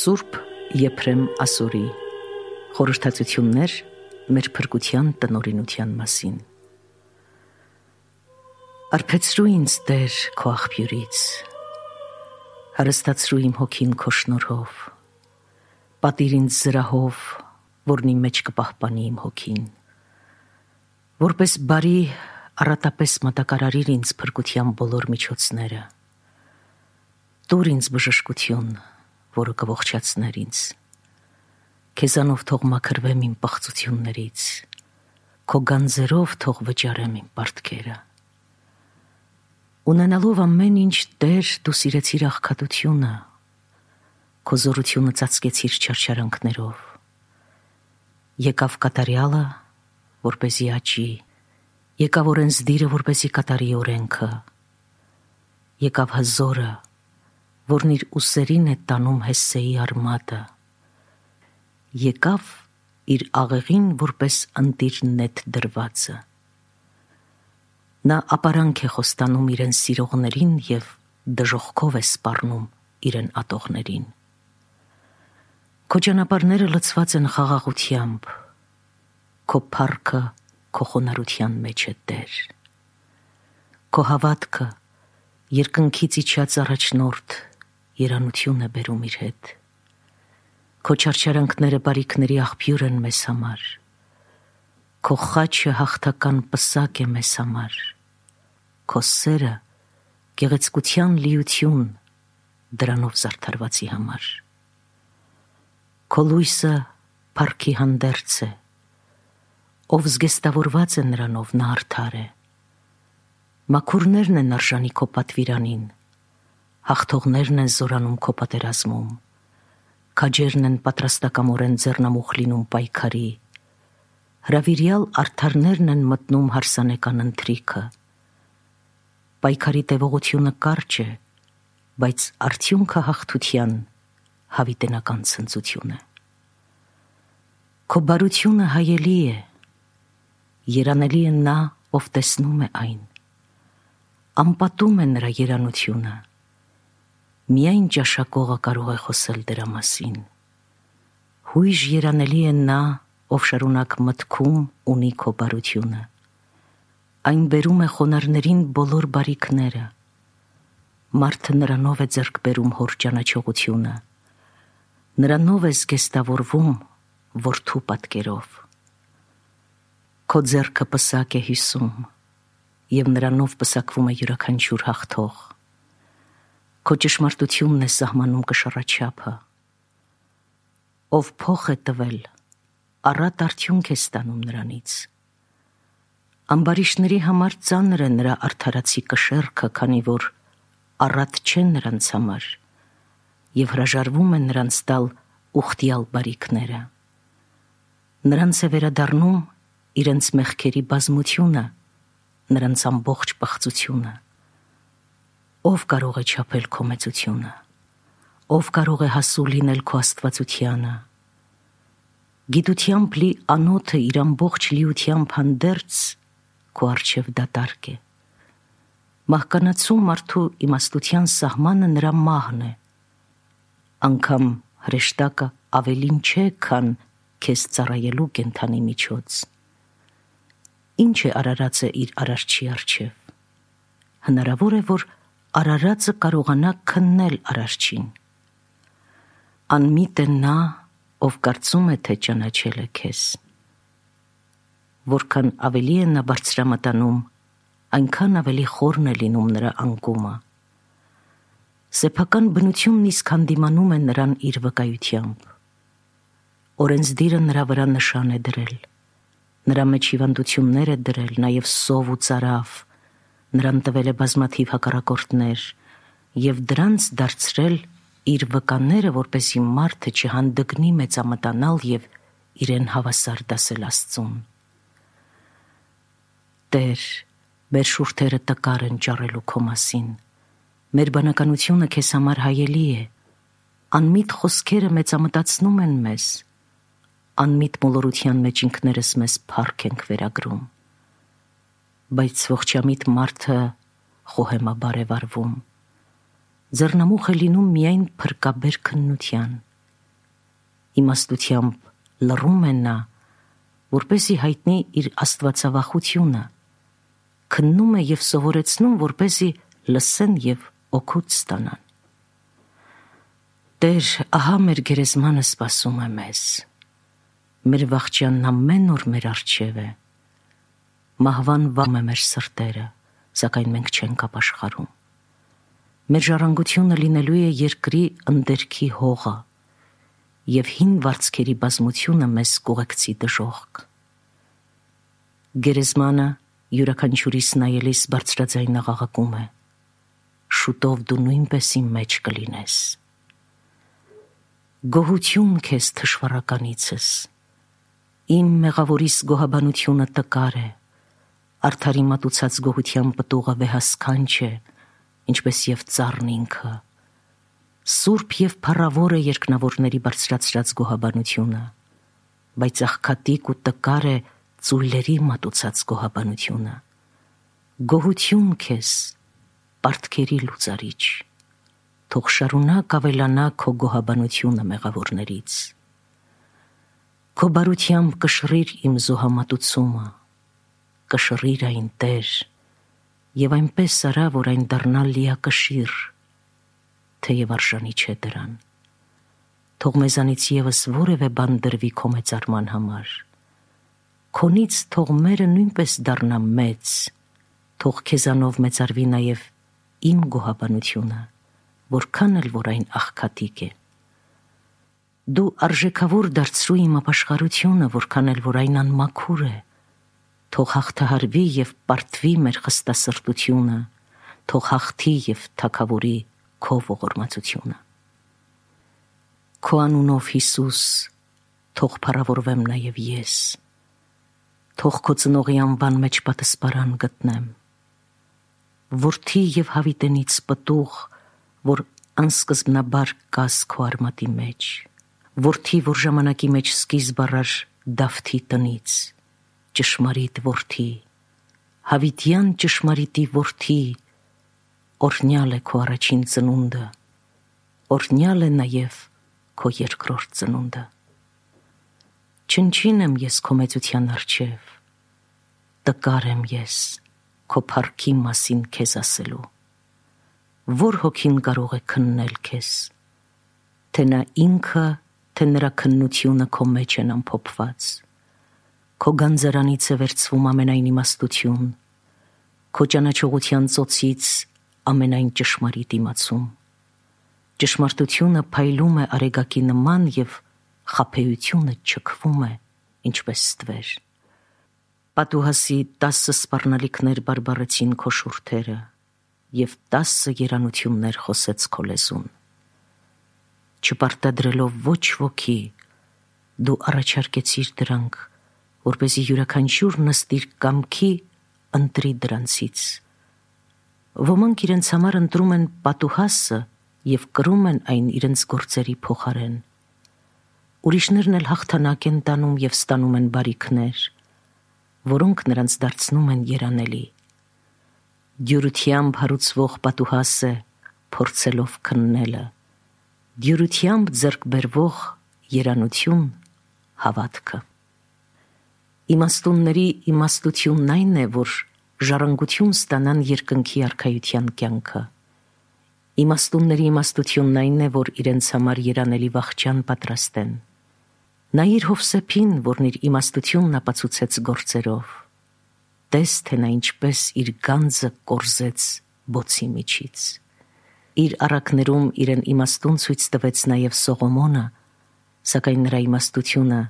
Սուրբ Եփրեմ Ասորի խորհրդածություններ մեր փրկության տնօրինության մասին։ Արբեցրու ինձ Տեր քո աղբյուրից, հարստացրու իմ հոգին քո շնորհով, պատիր ինձ զրահով, որն իմ մեջ կպահպանի իմ հոգին, որպես բարի առատապես մատակարարիր ինձ փրկության բոլոր միջոցները, տուր ինձ բժշկություն, որը կողջացներ ինձ, քեզանով թող մաքրվեմ իմ պղծություններից, քո գանձերով թող վճարեմ իմ պարտքերը։ Ունենալով ամեն ինչ Տեր, դու սիրեցիր աղքատությունը, քո զորությունը ծածկեցիր չարչարանքներով։ Եկավ կատարյալը, որպեսզի աճի, եկավ օրենսդիրը, որպեսզի կատարի օրենքը, եկավ հզորը, որն իր ուսերին է տանում Հեսսեի արմատը, եկավ իր աղեղին որպես ընտիր նետ դրվածը։ Նա ապարանք է խոստանում իրեն սիրողներին և դժոխքով է սպառնում իրեն ատողներին։ Քո ճանապարհները լցված են խաղաղությամբ, քո փառքը քո խոնարհության մեջ է Տեր։ Քո հավատքը երկնքից իջած առաջնորդ երանություն է բերում իր հետ։ Քո չարչարանքները բարիքների աղբյուր են մեզ համար, քո խաչը հաղթական պսակ է մեզ համար, քո սերը գեղեցկության լիություն դրանով զարդարվածի համար։ Քո լույսը փառքի հանդերձ է, ով զգեստավորված է նրանով, նա արդար է։ Մաքուրներն են արժանի քո պատվիրանին, հաղթողներն են զորանում քո պատերազմում, քաջերն են պատրաստակամորեն ձեռնամուխ լինում պայքարի, հրավիրյալ արդարներն են մտնում հարսանեկան ընթրիքը։ Պայքարի տևողությունը կարճ է, բայց արդյունքը հաղթության հավիտենական ցնծություն է։ Քո բարությունը հայելի է, երանելի է նա, ով տեսնում է այն, անպատում է նրա երանությունը, միայն ճաշակողը կարող է խոսել դրա մասին։ Հույժ երանելի է նա, ով շարունակ մտքում ունի քո բարությունը, այն բերում է խոնարհներին բոլոր բարիքները, մարդը նրանով է ձեռք բերում հոր ճանաչողությունը, նրանով է զգեստավորվում որդու պատկերով։ Քո ձեռքը պսակ է հյուսում, և նրանով պսակվում է յուրաքանչյուր հաղթող։ Քո ճշմարտությունն է սահմանում կշռաչափը։ Ով փոխ է տվել, առատ արդյունք է ստանում նրանից։ Ամբարիշտների համար ծանր է նրա արդարացի կշեռքը, քանի որ առատ չեն նրանց համար, և հրաժարվում է նրանց տալ ուխտյալ բարիքները։ Նրանց է վերադառնում իրենց մեղքերի բազմությունը, նրանց ամբողջ պղծությունը։ Ով կարող է չափել քո մեծությունը, ով կարող է հասու լինել քո աստվածությանը։ Գիտությամբ լի անոթը իր ամբողջ լիությամբ հանդերձ քո առջև դատարկ է։ Մահկանացու մարդու իմաստության սահմանը նրա մահն է, անգամ հրեշտակը ավելին չէ, քան քեզ ծառայելու կենդանի միջոց։ Ինչ է արարածը իր արարչի առջև։ Հնարավոր է, որ արարածը կարողանա քննել արարչին։ Անմիտ է նա, ով կարծում է, թե ճանաչել է քեզ։ Որքան ավելի է նա բարձրամտանում, այնքան ավելի խորն է լինում նրա անկումը։ Սեփական բնությունն իսկ հանդիմանում է նրան իր վկայությամբ։ Օրենսդիրը նրա վրա նշան է դրել, նրա մեջ հիվանդություններ է դրել, նաև սով ու ծարավ, նրան տվել է բազմաթիվ հակառակորդներ և դրանց դարձրել իր վկաները, որպեսզի մարդը չհանդգնի մեծամտանալ և իրեն հավասար դասել Աստծուն։ Տեր, մեր շուրթերը տկար են ճառելու քո մասին, մեր բանականությունը քեզ համար հայելի է, անմիտ խոսքերը մեծամտացնում են մեզ, անմիտ մոլորության մեջ ինքներս մեզ փառք ենք վերագրում, բայց ողջամիտ մարդը խոհեմաբար է վարվում, ձեռնամուխ է լինում միայն փրկաբեր քննության, իմաստությամբ լռում է նա, որպեսզի հայտնի իր աստվածավախությունը, քննում է և սովորեցնում, որպեսզի լսեն և օգուտ ստանան։ Տեր, ահա մեր գերեզմանը սպասում է մեզ, մեր վախճանն ամեն օր մեր առջև է, մահվան վամ է մեր սրտերը, սակայն մենք չենք ապաշխարում։ Մեր ժառանգությունը լինելու է երկրի ընդերքի հողը և հին վարձքերի բազմությունը մեզ կուղեկցի դժոխք։ Գերեզմանը յուրաքանչյուրիս նայելիս բարձրաձայն աղաղակում է. շուտով դու նույնպես իմ մեջ կլինես։ Գոհություն քեզ թշվառականիցս, իմ մեղավորիս գոհաբանությունը տկար է, արդարի մատուցած գոհության պտուղը վեհասքանչ է, ինչպես և ծառն ինքը, սուրբ և փառավոր է երկնավորների բարձրացրած գոհաբանությունը, բայց աղքատիկ ու տկար է ծույլերի մատուցած գոհաբանությունը։ Գոհություն քեզ, պարտքերի լուծարիչ, թող շարունակ ավելանա քո գոհաբանությունը մեղավորներից։ Քո բարությամբ կշռիր իմ զոհամատուցումը, կշռիր այն Տեր, և այնպես արա, որ այն դառնա լիակշիռ, թեև արժանի չէ դրան։ Թող մեզանից ևս որևէ բան դրվի քո մեծարման համար, քոնից թող մերը նույնպես դառնա մեծ, թող քեզանով մեծարվի նաև իմ գոհաբանությունը, որքան էլ որ այն աղքատիկ է։ Դու արժեքավոր դարձրու իմ ապաշխարությունը, որքան էլ որ այն անմաքուր է, թող հաղթահարվի և պարտվի մեր խստասրտությունը, թող հաղթի և թագավորի քո ողորմածությունը։ Քո անունով Հիսուս, թող փառավորվեմ նաև ես, թող քո ծնողի անվան մեջ պատասպարան գտնեմ, որդի և հավիտենից պտուղ, որ անսկզբնաբար կաս քո արմատի մեջ, որդի, որ ժամանակի մեջ սկիզբ առար Դավթի տնից, ճշմարիտ որդի, հավիտյան ճշմարիտի որդի, օրհնյալ է քո առաջին ծնունդը, օրհնյալ է նաև քո երկրորդ ծնունդը։ Չնչին եմ ես քո մեծության առջև, տկար եմ ես քո փառքի մասին քեզ ասելու։ Որ հոգին կարող է քննել քեզ, թե նա ինքը, թե նրա քննությունը քո մեջ են ամփոփված։ Քո գանձարանից է վերցվում ամենայն իմաստություն, քո ճանաչողության ծոցից ամենայն ճշմարիտ իմացում։ Ճշմարտությունը փայլում է արեգակի նման և խաբեությունը չքվում է, ինչպես ստվեր։ Պատուհասի 10 սպառնալիքներ բարբառեցին քո շուրթերը, և 10 երանություններ խոսեց քո լեզուն։ Չպարտադրելով ոչ ոքի, դու առաջարկեցիր դրանք, որպեսզի յուրաքանչյուրն ըստ իր կամքի ընտրի դրանցից։ Ոմանք իրենց համար ընտրում են պատուհասը և կրում են այն իրենց գործերի փոխարեն։ Ուրիշներն էլ հաղթանակ են տանում և ստանում են բարիքներ, որոնք նրանց դարձնում են երանելի։ Դյուրությամբ հարուցվող պատուհաս է փորձելով քննելը, դյուրությամբ ձեռք բերվող երանություն հավատքը։ Իմաստունների իմաստությունն այն է, որ ժառանգություն ստանան երկնքի արքայության կյանքը։ Իմաստունների իմաստությունն այն է, որ իրենց համար երանելի վախճան պատրաստեն։ Նայիր Հովսեփին, որն իր իմաստությունն ապացուցեց գործերով։ Տես, թե նա ինչպես իր գանձը կորզեց բոցի միջից։ Իր առակներում իրեն իմաստուն ցույց տվեց նաև Սողոմոնը, սակայն նրա իմաստությունը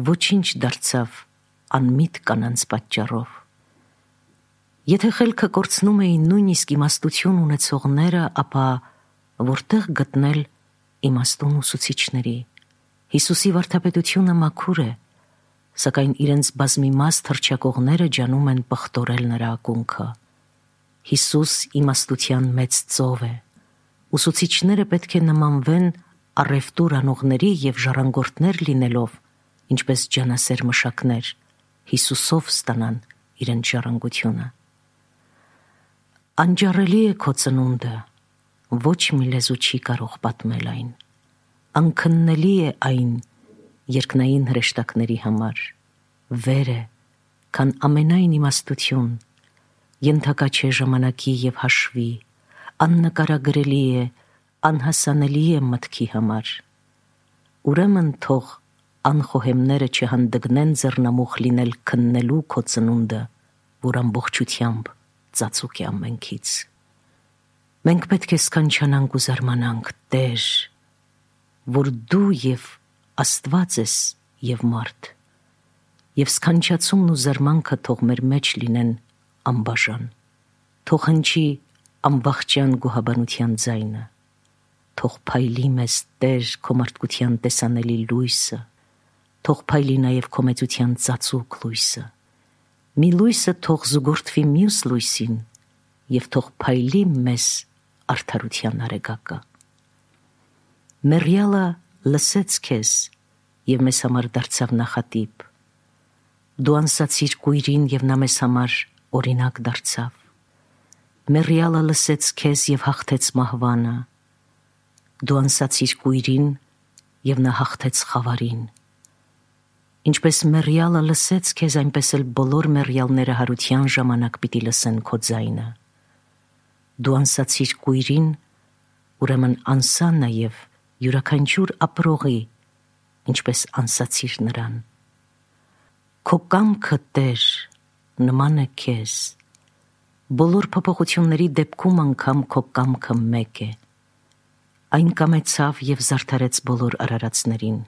ոչինչ դարձավ անմիտ կանանց պատճառով։ Եթե խելքը կորցնում էին նույնիսկ իմաստություն ունեցողները, ապա որտեղ գտնել իմաստուն ուսուցիչների։ Հիսուսի վարդապետությունը մաքուր է, սակայն իրենց բազմիմաստ հռչակողները ջանում են պղտորել նրա ակունքը։ Հիսուս իմաստության մեծ ծով է։ Ուսուցիչները պետք է նմանվեն առևտուր անողների և ժառանգորդներ լինելով, ինչպես ջանասեր մշակներ, Հիսուսով ստանան իրենց ժառանգությունը։ Անջառելի է քո ծնունդը, ոչ մի լեզու չի կարող պատմել այն։ Անքննելի է այն, երկնային հրեշտակների համար, վեր է, քան ամենայն իմաստություն, ենթակա չէ ժամանակի և հաշվի, աննկարագրելի է, անհասանելի է մտքի համար։ Ուրեմն թող անխոհեմները չհանդգնեն ձեռնամուխ լինել քննելու քո ծնունդը, որ ամբողջությամբ ծածուկ է ամենքից։ Մենք պետք է սքանչանանք ու զարմանանք, Տեր, որ դու և Աստված ես և մարդ, և սքանչացումն ու զարմանքը թող մեր մեջ լինեն անբաժան, թող հնչի անվախճան գոհաբանության ձայնը, թող փայլի մեզ, Տեր, քո մարդկության տեսանելի լույսը, թող փայլի նաև քո մեծության ծածուկ լույսը, մի լույսը թող զուգորդվի մյուս լույսին և թող փայլի մեզ արդարության արեգակը։ Մեռյալը լսեց քեզ և մեզ համար դարձավ նախատիպ։ Դու անսացիր կույրին և նա մեզ համար օրինակ դարձավ։ Մեռյալը լսեց քեզ և հաղթեց մահվանը։ Դու անսացիր կույրին և նա հաղթեց խավարին։ Ինչպես մեռյալը լսեց քեզ, այնպես էլ բոլոր մեռյալները հարության ժամանակ պիտի լսեն քո ձայնը։ Դու անսացիր կույրին, ուրեմն անսա նաև յուրաքանչյուր ապրողի, ինչպես անսացիր նրան։ Քո կամքը, Տեր, նման է քեզ, բոլոր փոփոխությունների դեպքում անգամ քո կամքը մեկ է։ Այն կամեցավ և զարդարեց բոլոր արարածներին։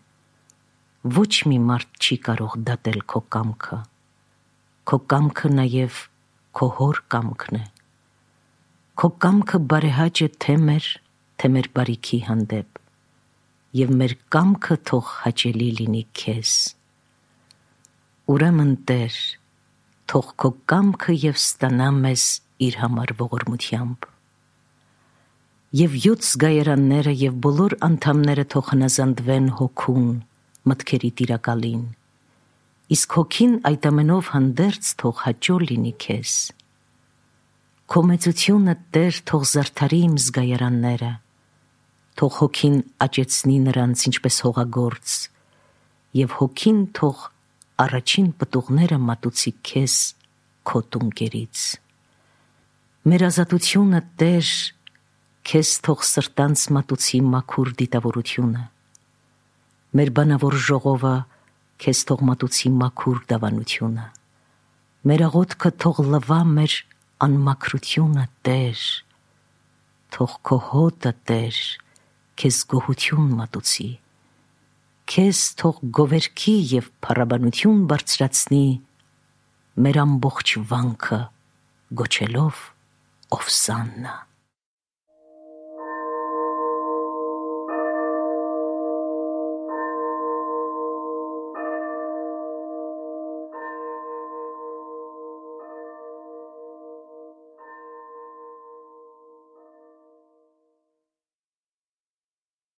Ոչ մի մարդ չի կարող դատել քո կամքը։ Քո կամքը նաև քո հոր կամքն է։ Քո կամքը բարեհաճ է թե մեր բարիքի հանդեպ, և մեր կամքը թող հաճելի լինի քեզ։ Ուրեմն, Տեր, թող քո կամքը և ստանա մեզ իր համար ողորմությամբ։ Եվ 7 զգայարանները և բոլոր անդամները թող հնազանդվեն հոգուն, մտքերի տիրակալին, իսկ հոգին այդ ամենով հանդերձ թող հաճո լինի քեզ։ Քո մեծությունը, Տեր, թող զարդարի իմ զգայարանները, թող հոգին աճեցնի նրանց ինչպես հողագործ, և հոգին թող առաջին պտուղները մատուցի քեզ քո տունկերից։ Մեր ազատությունը, Տեր, քեզ թող սրտանց մատուցի մաքուր դիտավորությունը, մեր բանավոր ժողովը քեզ թող մատուցի մաքուր դավանությունը, մեր աղոթքը թող լվա մեր անմաքրությունը, Տեր, թող քո հոտը, Տեր, քեզ գոհություն մատուցի, քեզ թող գովերքի և փառաբանություն բարձրացնի մեր ամբողջ վանքը գոչելով Ովսաննա։